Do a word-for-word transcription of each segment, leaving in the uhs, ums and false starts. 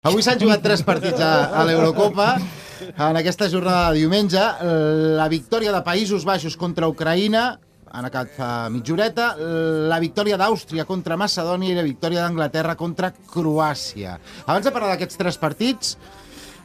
Avui s'han jugat tres partits a, a l'Eurocopa. En aquesta jornada de diumenge, la victòria de Països Baixos contra Ucraïna, han acabat fa mitja horeta, la victòria d'Àustria contra Macedònia i la victòria d'Anglaterra contra Croàcia. Abans de parlar d'aquests tres partits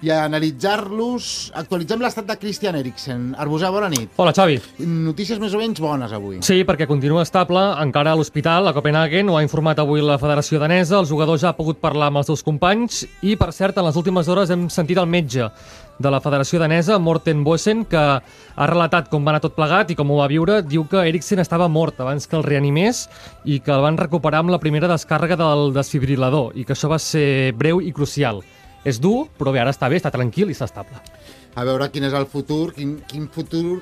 i analitzar-los, actualitzem l'estat de Christian Eriksen. Arbusà, bona nit. Hola, Xavi. Notícies més o menys bones avui. Sí, perquè continua estable, encara a l'hospital, a Copenhagen, ho ha informat avui la Federació Danesa, el jugador ja ha pogut parlar amb els seus companys i, per cert, en les últimes hores hem sentit el metge de la Federació Danesa, Morten Boesen, que ha relatat com va anar tot plegat i com ho va viure. Diu que Eriksen estava mort abans que el reanimés i que el van recuperar amb la primera descàrrega del desfibrilador i que això va ser breu i crucial. És dur, però bé, ara està bé, està tranquil i està estable. A veure quin és el futur, quin, quin futur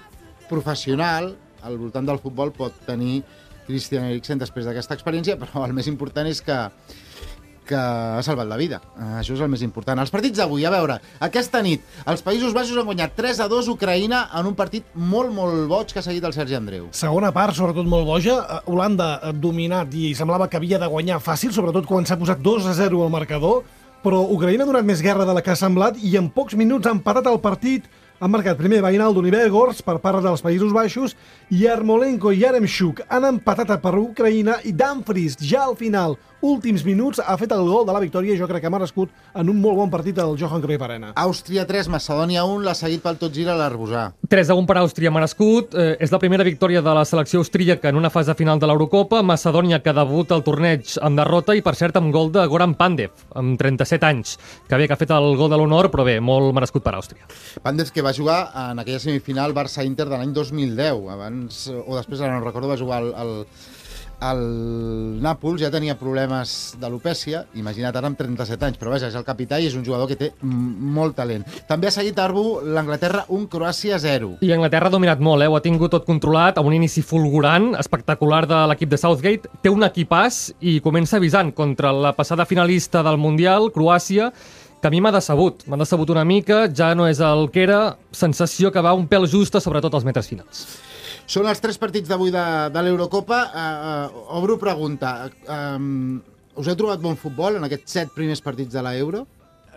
professional al voltant del futbol pot tenir Christian Eriksen després d'aquesta experiència, però el més important és que, que ha salvat la vida. Això és el més important. Els partits d'avui, a veure, aquesta nit, els Països Baixos han guanyat tres a dos Ucraïna en un partit molt, molt boig que ha seguit el Sergi Andreu. Segona part, sobretot molt boja. Holanda ha dominat i semblava que havia de guanyar fàcil, sobretot quan s'ha posat dos a zero al marcador, però Ucraïna ha donat més guerra de la que ha semblat i en pocs minuts ha empatat el partit. Han marcat primer Wijnaldum i Weghorst per part dels Països Baixos i Yarmolenko i Yaremchuk han empatat per Ucraïna i Dumfries ja al final, últims minuts, ha fet el gol de la victòria. Jo crec que ha merescut en un molt bon partit al Johan Cruyff Arena. Àustria tres, Macedònia un, l'ha seguit pel tot gira l'Arbusà. tres a un per Àustria merescut. Eh, és la primera victòria de la selecció austríaca en una fase final de l'Eurocopa. Macedònia que debuta al torneig amb derrota i, per cert, amb gol de Goran Pandev, amb trenta-set anys. Que bé que ha fet el gol de l'honor, però bé, molt merescut per Àustria. Pandev que va jugar en aquella semifinal Barça-Inter de l'any dos mil deu. Abans, o després, ara no recordo, va jugar al... al el Nàpols, ja tenia problemes d'alopècia, imagina't ara amb trenta-set anys, però vaja, és el capità i és un jugador que té molt talent. També ha seguit Arbu l'Anglaterra un, Croàcia zero. I Anglaterra ha dominat molt, eh? Ho ha tingut tot controlat, amb un inici fulgurant, espectacular de l'equip de Southgate. Té un equipàs i comença avisant contra la passada finalista del Mundial, Croàcia, que a mi m'ha decebut. M'ha decebut una mica, ja no és el que era, sensació que va un pèl justa, sobretot als metres finals. Són els tres partits d'avui de, de l'Eurocopa. Uh, uh, obro pregunta. Um, us heu trobat bon futbol en aquests set primers partits de l'Euro?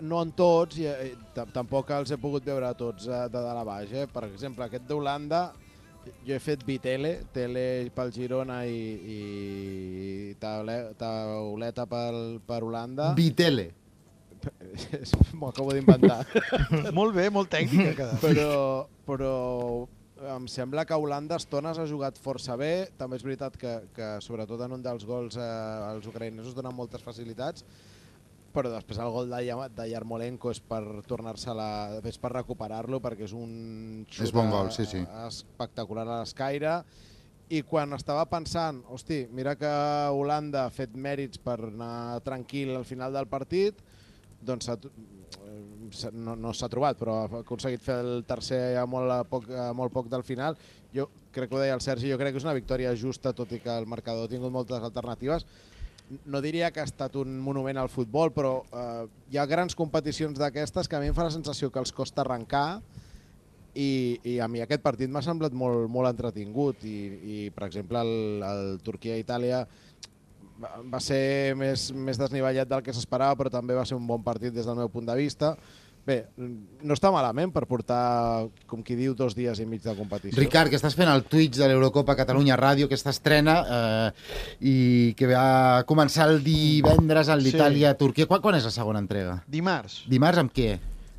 No en tots, i eh, tampoc els he pogut veure tots eh, de dalt a baix. Eh? Per exemple, aquest d'Holanda, jo he fet bitele, tele pel Girona i, i tauleta pel, per Holanda. Bitele. M'ho acabo d'inventar. Molt bé, molt tècnica. Però... però em sembla que Holanda a estones ha jugat força bé. També és veritat que, que sobretot en un dels gols eh, els ucraïnesos donen moltes facilitats, però després el gol de, de Yarmolenko és per tornar-se-la, és per recuperar-lo, perquè és un xut és bon gol, sí, sí. espectacular a l'escaire. I quan estava pensant, hosti, mira que Holanda ha fet mèrits per anar tranquil al final del partit, doncs no, no s'ha trobat, però ha aconseguit fer el tercer a molt, a poc, a molt poc del final. Jo crec que ho deia el Sergi, jo crec que és una victòria justa, tot i que el marcador ha tingut moltes alternatives. No diria que ha estat un monument al futbol, però eh, hi ha grans competicions d'aquestes que a mi em fa la sensació que els costa arrencar i, i a mi aquest partit m'ha semblat molt, molt entretingut i, i per exemple el, el Turquia-Itàlia va ser més, més desnivellat del que s'esperava, però també va ser un bon partit des del meu punt de vista. Bé, no està malament per portar, com qui diu, dos dies i mig de competició. Ricard, que estàs fent el Twitch de l'Eurocopa Catalunya Ràdio, aquesta estrena, eh, i que va començar el divendres en l'Itàlia-Turquia. Quan, quan és la segona entrega? Dimarts. Dimarts amb què?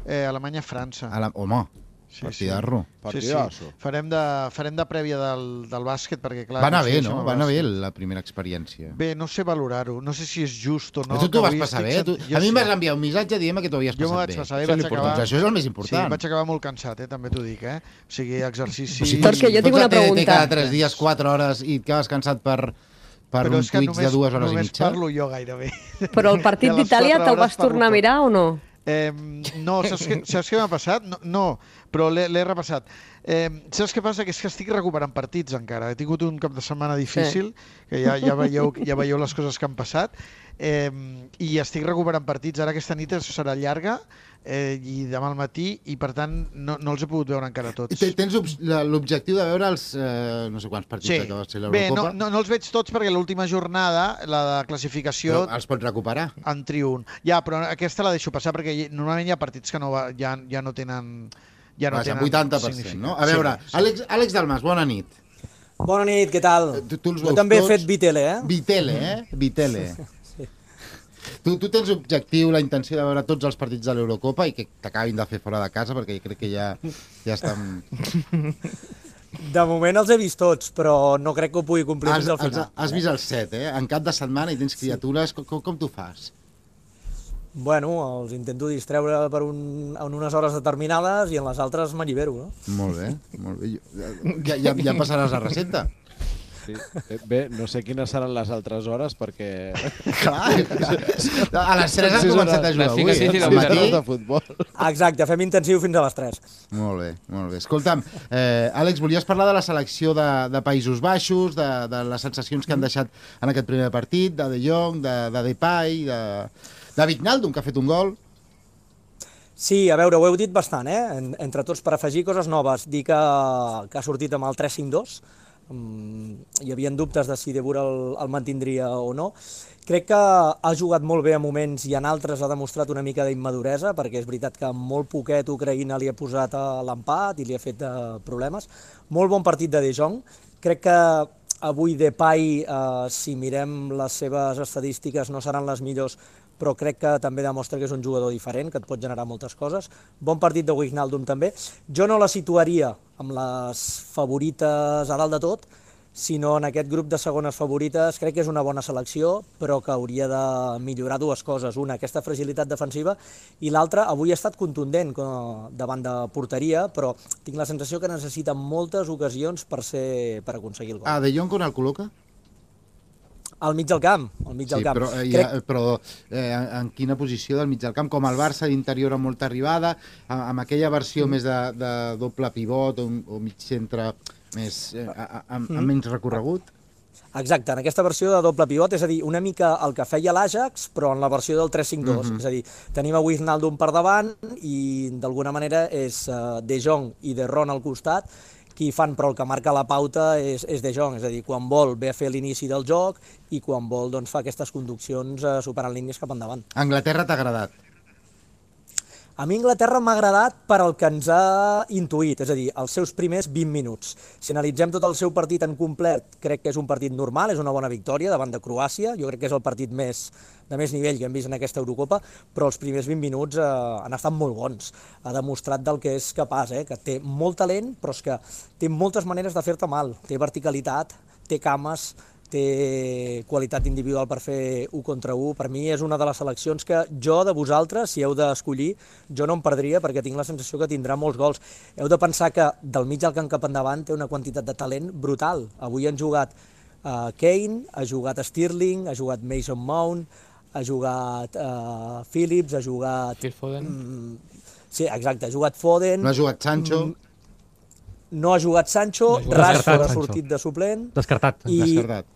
Eh, Alemanya-França. La... Home, sí, partidarro. Sí, sí. sí. Farem, de, farem de prèvia del, del bàsquet, perquè clar... Va anar no bé, sé, no? Va anar bé la primera experiència. Bé, no sé valorar-ho. No sé si és just o no. Però tu t'ho vas passar bé? Tu... A mi em vas enviar un missatge dient que t'ho havies jo passat bé. Jo m'ho vaig passar bé, vaig acabar... Doncs això és el més important. Sí, vaig acabar molt cansat, eh? També t'ho dic, eh? O sigui, exercici... O sigui, perquè jo tinc una pregunta. Cada tres dies, quatre hores, i et quedes cansat per... per però un Twitch de dues hores i mitja. Només parlo jo gairebé. Però el partit d'Itàlia te'l vas tornar a mirar o no? Eh, no, saps què, saps què m'ha passat? No, no però l'he repassat. Eh, saps què passa? Que és que estic recuperant partits encara. He tingut un cap de setmana difícil, que ja, ja, veieu, ja veieu les coses que han passat, eh, i estic recuperant partits. Ara aquesta nit serà llarga, eh, i demà al matí, i per tant no, no els he pogut veure encara tots. Tens l'objectiu de veure els eh, no sé quants partits Sí. que va ser Bé, l'Eurocopa? no, no, no els veig tots perquè l'última jornada, la de classificació, Però els pots recuperar. en trio un. Ja, però aquesta la deixo passar perquè hi- normalment hi ha partits que no va, ja, ja no tenen... Ja no Vaja, tenen vuitanta per cent, significat. no? A veure, Sí, sí. Àlex, Àlex Dalmas, bona nit. Bona nit, què tal? Tu, tu els Jo veus també tots? he fet Vitele, eh? Vitele, eh? Vitele. Tu, tu tens objectiu, la intenció de veure tots els partits de l'Eurocopa i que t'acabin de fer fora de casa, perquè crec que ja, ja estan... De moment els he vist tots, però no crec que ho pugui complir Has, fins al has, final. has vist el set, eh? En cap de setmana i tens criatures. Com, com, com t'ho fas? Bueno, els intento distreure per un, en unes hores determinades i en les altres m'allibero, no? Molt bé, molt bé. Jo- Ja, ja, ja passaràs la recepta. Sí. Eh, Bé, no sé quines seran les altres hores, perquè... Clar, a les tres has Sí, començat a la jugar avui, fica eh? sí, Al sí, matí. de futbol. Exacte, fem intensiu fins a les tres. Molt bé, molt bé. Escolta'm, eh, Àlex, volies parlar de la selecció de, de Països Baixos, de, de les sensacions que han deixat en aquest primer partit, de De Jong, de, de Depay, de, de Wijnaldum, que ha fet un gol. Sí, a veure, ho heu dit bastant, eh? En, entre tots, per afegir coses noves, dir que, que ha sortit amb el tres cinc dos. Mm, hi havia dubtes de si De Boer el, el mantindria o no. Crec que ha jugat molt bé a moments i en altres ha demostrat una mica d'immaduresa, perquè és veritat que amb molt poquet Ucraïna li ha posat a l'empat i li ha fet eh, problemes. Molt bon partit de De Jong. Crec que avui Depay, eh, si mirem les seves estadístiques, no seran les millors, però crec que també demostra que és un jugador diferent, que et pot generar moltes coses. Bon partit de Wijnaldum també. Jo no la situaria amb les favorites a dalt de tot, sinó en aquest grup de segones favorites. Crec que és una bona selecció, però que hauria de millorar dues coses. Una, aquesta fragilitat defensiva, i l'altra, avui ha estat contundent davant de porteria, però tinc la sensació que necessita moltes ocasions per, ser, per aconseguir el gol. Ah, De Jong on el col·loca? Al mig del camp, al mig del Sí, camp. però, eh, Crec... ja, però eh, en, en quina posició del mig del camp? Com el Barça d'interior amb molta arribada, amb, amb aquella versió mm. més de, de doble pivot o, o mig centre més, eh, a, a, amb, amb menys recorregut? Exacte, en aquesta versió de doble pivot, és a dir, una mica el que feia l'Ajax, però en la versió del tres cinc dos. Mm-hmm. És a dir, tenim a Wijnaldum per davant i d'alguna manera és uh, De Jong i De Ron al costat, qui fan, però el que marca la pauta és, és De Jong, és a dir, quan vol ve a fer l'inici del joc i quan vol doncs, fa aquestes conduccions uh, superant línies cap endavant. Anglaterra t'ha agradat? A mi Anglaterra m'ha agradat per al que ens ha intuït, és a dir, els seus primers vint minuts. Si analitzem tot el seu partit en complet, crec que és un partit normal, és una bona victòria davant de Croàcia, jo crec que és el partit més, de més nivell que hem vist en aquesta Eurocopa, però els primers vint minuts eh, han estat molt bons. Ha demostrat del que és capaç, eh, que té molt talent, però és que té moltes maneres de fer-te mal. Té verticalitat, té cames, té qualitat individual per fer u contra u. Per mi és una de les seleccions que jo, de vosaltres, si heu d'escollir, jo no em perdria perquè tinc la sensació que tindrà molts gols. Heu de pensar que del mig al camp cap endavant té una quantitat de talent brutal. Avui han jugat uh, Kane, ha jugat Sterling, ha jugat Mason Mount, ha jugat uh, Phillips, ha jugat... Phil Foden. Mm, sí, exacte, ha jugat Foden. No ha jugat Sancho? Mm, no ha jugat Sancho, No ha jugat. Rashford ha Sancho. sortit de suplent. Descartat. I, Descartat.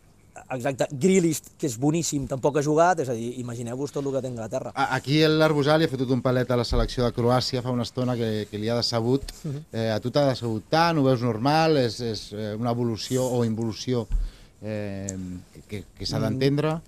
Exacte, Grealish, que és boníssim, tampoc ha jugat, és a dir, imagineu-vos tot el que té Anglaterra. A- Aquí l'Arbusà li ha fotut un palet a la selecció de Croàcia fa una estona que, que li ha decebut. Eh, a tu t'ha decebut tant, ho veus normal, és, és eh, una evolució o involució eh, que, que s'ha d'entendre?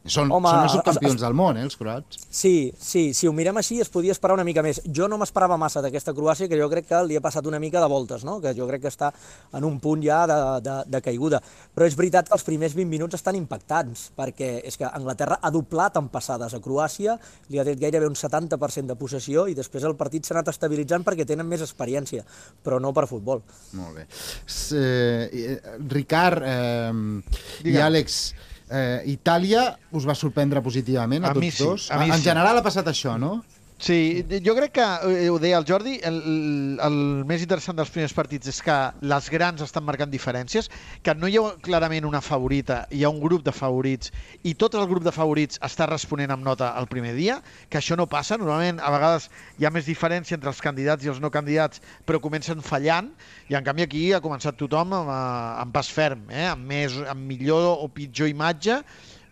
Són, Home, són els es- subcampions es- del món, eh, els croats. Sí, sí, si ho mirem així es podia esperar una mica més. Jo no m'esperava massa d'aquesta Croàcia, que jo crec que li ha passat una mica de voltes, no? Que jo crec que està en un punt ja de, de, de caiguda. Però és veritat que els primers vint minuts estan impactants, perquè és que Anglaterra ha doblat en passades a Croàcia, li ha tret gairebé un setanta per cent de possessió i després el partit s'ha anat estabilitzant perquè tenen més experiència, però no per futbol. Molt bé. S eh, Ricard eh, i Digue'm. Àlex, eh, Itàlia us va sorprendre positivament a, A tots mi sí, dos? a mi en sí. general ha passat això, no? Sí, jo crec que, eh, ho deia el Jordi, el, el més interessant dels primers partits és que les grans estan marcant diferències, que no hi ha clarament una favorita, hi ha un grup de favorits i tot el grup de favorits està responent amb nota el primer dia, que això no passa. Normalment, a vegades hi ha més diferència entre els candidats i els no candidats, però comencen fallant, i en canvi aquí ha començat tothom amb, amb pas ferm, eh? amb, més, amb millor o pitjor imatge,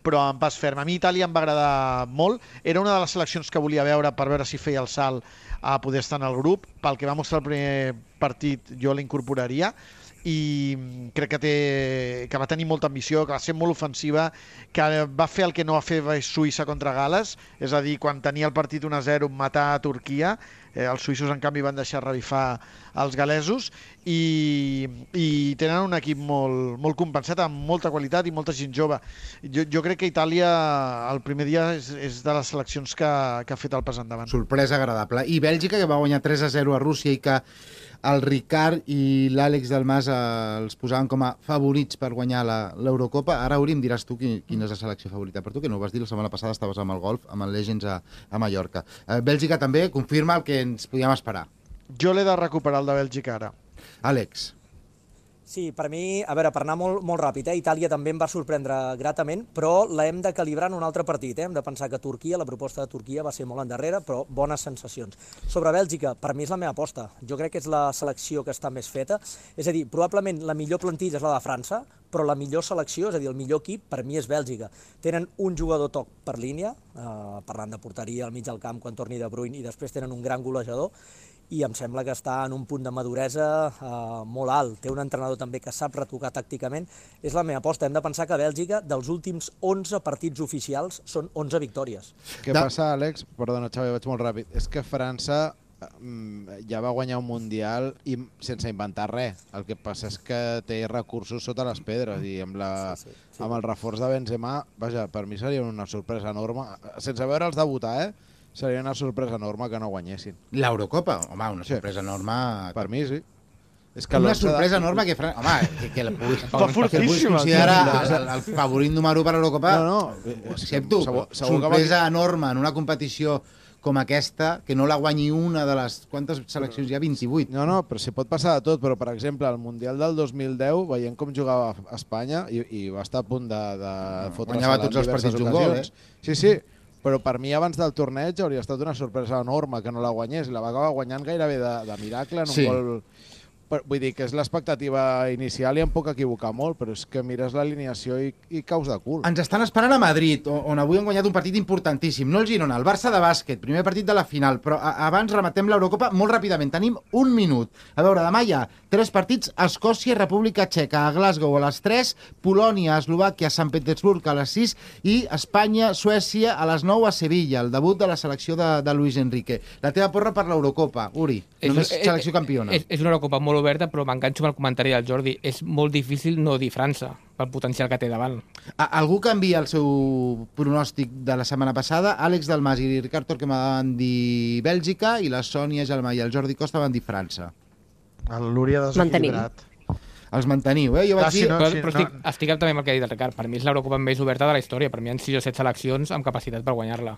però en pas ferm. A mi Itàlia em va agradar molt. Era una de les seleccions que volia veure per veure si feia el salt a poder estar en el grup. Pel que va mostrar el primer partit, jo l'incorporaria i crec que, té, que va tenir molta ambició, que va ser molt ofensiva, que va fer el que no va fer Suïssa contra Gal·les, és a dir, quan tenia el partit un a zero matar a Turquia. Eh, els suïssos, en canvi, van deixar revifar els galesos i, i tenen un equip molt, molt compensat, amb molta qualitat i molta gent jove. Jo, jo crec que Itàlia, el primer dia, és, és de les seleccions que, que ha fet el pas endavant. Sorpresa agradable. I Bèlgica, que va guanyar tres a zero a Rússia i que el Ricard i l'Àlex Dalmas eh, els posaven com a favorits per guanyar l'Eurocopa. Ara, Uri, em diràs tu quin, quina és la selecció favorita per tu, que no ho vas dir la setmana passada, estaves amb el golf, amb el Legends a, a Mallorca. Eh, Bèlgica també confirma el que ens podíem esperar. Jo l'he de recuperar, el de Bèlgica, ara. Àlex. Sí, per mi, a veure, per anar molt, molt ràpid, eh? Itàlia també em va sorprendre gratament, però la hem de calibrar en un altre partit. Eh? Hem de pensar que Turquia, la proposta de Turquia va ser molt endarrere, però bones sensacions. Sobre Bèlgica, per mi és la meva aposta. Jo crec que és la selecció que està més feta. És a dir, probablement la millor plantilla és la de França, però la millor selecció, és a dir, el millor equip, per mi és Bèlgica. Tenen un jugador toc per línia, eh, parlant de porteria al mig del camp quan torni De Bruyne, i després tenen un gran golejador, i em sembla que està en un punt de maduresa eh, molt alt. Té un entrenador també que sap retocar tàcticament. És la meva aposta. Hem de pensar que Bèlgica, dels últims onze partits oficials, són onze victòries. Què passa, Àlex? Perdona, Xavi, vaig molt ràpid. És que França ja va guanyar un Mundial i sense inventar res. El que passa és que té recursos sota les pedres i amb, la, sí, sí, sí. amb el reforç de Benzema, vaja, per mi seria una sorpresa enorme. Sense veure'ls debutar, eh? Seria una sorpresa enorme que no guanyessin. L'Eurocopa? Home, una sorpresa sí. enorme... Per mi, sí. És que una sorpresa de... enorme que... Fran... Home, que, que, el puguis, que el puguis considerar el, el favorit número per a l'Eurocopa... No, no. Ho accepto. Segur, segur sorpresa que... enorme en una competició com aquesta, que no la guanyi una de les... Quantes seleccions hi ha? vint-i-vuit. No, no, però si pot passar de tot. Però, per exemple, al Mundial del dos mil deu, veient com jugava Espanya, i, i va estar a punt de, de fotre's guanyava tots els partits un gol, eh? Sí, sí. Però per mi abans del torneig hauria estat una sorpresa enorme que no la guanyés, i la va acabar guanyant gairebé de, de miracle en un sí. gol... Vull dir que és l'expectativa inicial i em puc equivocar molt, però és que mires l'alineació i, i caus de cul. Ens estan esperant a Madrid, on avui han guanyat un partit importantíssim, no el Girona, el Barça de bàsquet, primer partit de la final, però abans rematem l'Eurocopa molt ràpidament, tenim un minut. A veure, demà hi ha tres partits, Escòcia, República Txeca, a Glasgow a les tres, Polònia, Eslovàquia, Sant Petersburg a les sis i Espanya, Suècia a les nou a Sevilla, el debut de la selecció de, de Luis Enrique. La teva porra per l'Eurocopa, Uri, només és, selecció campiona. És, és una Eurocopa molt oberta, però m'enganxo amb el comentari del Jordi. És molt difícil no dir França, pel potencial que té davant. A, algú canvia el seu pronòstic de la setmana passada? Àlex Dalmas i Ricard Torquemada van dir Bèlgica i la Sònia Gelmà i el Jordi Costa van dir França. L'Uri ha desequilibrat. Els manteniu, eh? Jo vaig ah, sí, dir... no, però, però estic, no. estic també amb el que ha dit el Ricard. Per mi és l'Eurocopa més oberta de la història. Per mi hi ha sis o set seleccions amb capacitat per guanyar-la.